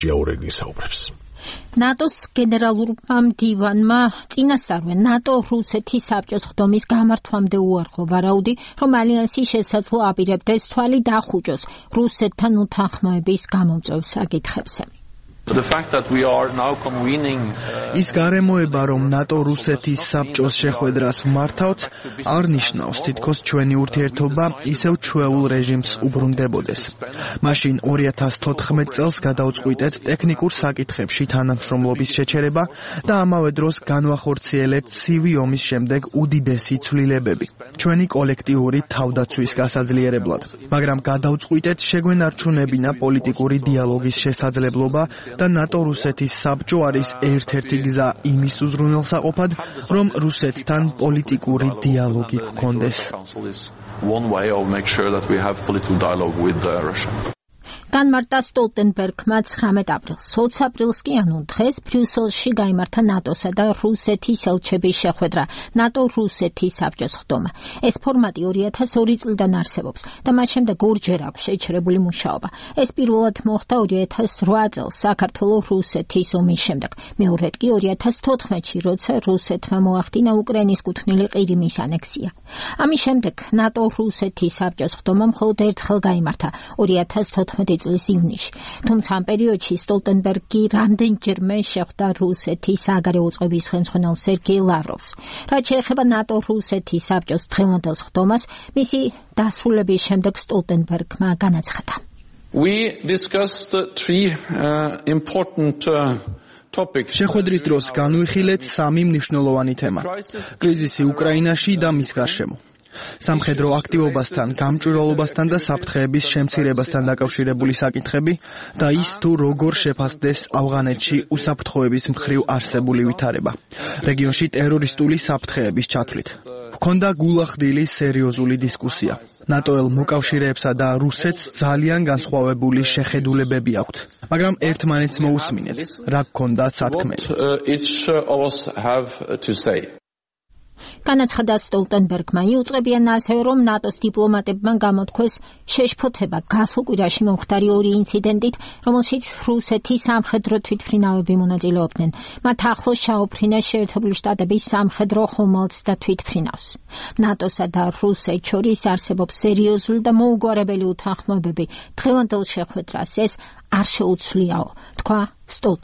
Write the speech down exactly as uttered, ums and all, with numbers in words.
ჟიაურენი საუბრებს. ნატოს გენერალურმა მდივანმა წინასწარვე ნატო რუსეთის საბჭოს ხდომის გამართვამდე უარყო ვარაუდი, რომ ალიანსი შესაძლო აპირებდეს თვალი დახუჭოს რუსეთთან უთანხმოების გამომწვევ საკითხებზე. ის გარემოება, რომ ნატო რუსეთის საბჭოს შეხვედრას ვმართავთ, არ ნიშნავს, თითქოს ჩვენი ურთიერთობა ისევ ჩვეულ რეჟიმს უბრუნდებოდეს. მაშინ ორი ათას თოთხმეტ წელს გადავწყვიტეთ ტექნიკურ საკითხებში თანამშრომლობის შეჩერება და ამავე დროს განვახორციელეთ ცივი ომის შემდეგ უდიდესი ცვლილებები, ჩვენი კოლექტიური თავდაცვის გასაძლიერებლად. მაგრამ გადავწყვიტეთ შეგვენარჩუნებინა პოლიტიკური დიალოგის შესაძლებლობა და ნატო რუსეთის საბჭო არის ერთ-ერთი გზა იმის უზრუნველსაყოფად, რომ რუსეთთან პოლიტიკური დიალოგი გქონდეს. განმარტა სტოლტენბერგმა ცხრამეტ აპრილს. ოცი აპრილს კი ანუ დღეს ბრიუსელში გაიმართა ნატოსა და რუსეთის ელჩების შეხვედრა, ნატო-რუსეთის საბჭოს ხდომა. ეს ფორმატი ორი ათას ორი წლიდან არსებობს და მას შემდეგ ორჯერ აქვს შეჩერებული მუშაობა. ეს პირველად მოხდა ორი ათას რვა წელს საქართველო-რუსეთის ომის შემდეგ. მეორედ კი ორი ათას თოთხმეტში, როცა რუსეთმა მოახდინა უკრაინის კუთვნილი ყირიმის ანექსია. ამის შემდეგ ნატო-რუსეთის საბჭოს ხდომა მხოლოდ ერთხელ გაიმართა ორი ათას თოთხმეტი წლის ივნისში. თუმცა ამ პერიოდში სტოლტენბერგი რამდენჯერმე შეხვდა რუსეთის საგარეო წყობის ხელმძღვანელ სერგეი ლავროვს. რაც შეეხება ნატო-რუსეთის საბჭოს დღევანდელ ხდომას, მისი დასრულების შემდეგ სტოლტენბერგმა განაცხადა. We discussed three uh, important uh, შეხვედრის დროს განვიხილეთ სამი მნიშვნელოვანი თემა: კრიზისი უკრაინაში და მის გარშემო, სამხედრო აქტივობასთან, გამჭვირვალობასთან და საფრთხეების შემცირებასთან დაკავშირებული საკითხები და ის თუ როგორ შეფასდეს ავღანეთში უსაფრთხოების მხრივ არსებული ვითარება, რეგიონში ტერორისტული საფრთხეების ჩათვლით. ჰქონდა გულახდილი სერიოზული დისკუსია. ნატოელ მოკავშირეებსა და რუსეთს ძალიან განსხვავებული შეხედულებები აქვთ, მაგრამ ერთმანეთს მოусმინეთ, რა გქონდა სათქმელი. განაცხადა სტოლტენბერგმა. იუწყებიან ასევე, რომ ნატოს დიპლომატებმა გამოთქვეს შეშფოთება გასულ კვირაში მომხდარი ორი ინციდენტით, რომელშიც რუსეთის სამხედრო თვითმფრინავები მონაწილეობდნენ. მათ ახლოს ჩაუფრინეს შეერთებული შტატების სამხედრო ხომალდს და თვითმფრინავს. ნატოსა და რუსეთს შორის არსებობს სერიოზული და მოუგვარებელი უთანხმოებები. დღევანდელ შეხვედრას ეს არ შეუცვლიაო, თქვა სტოლტენბერგმა.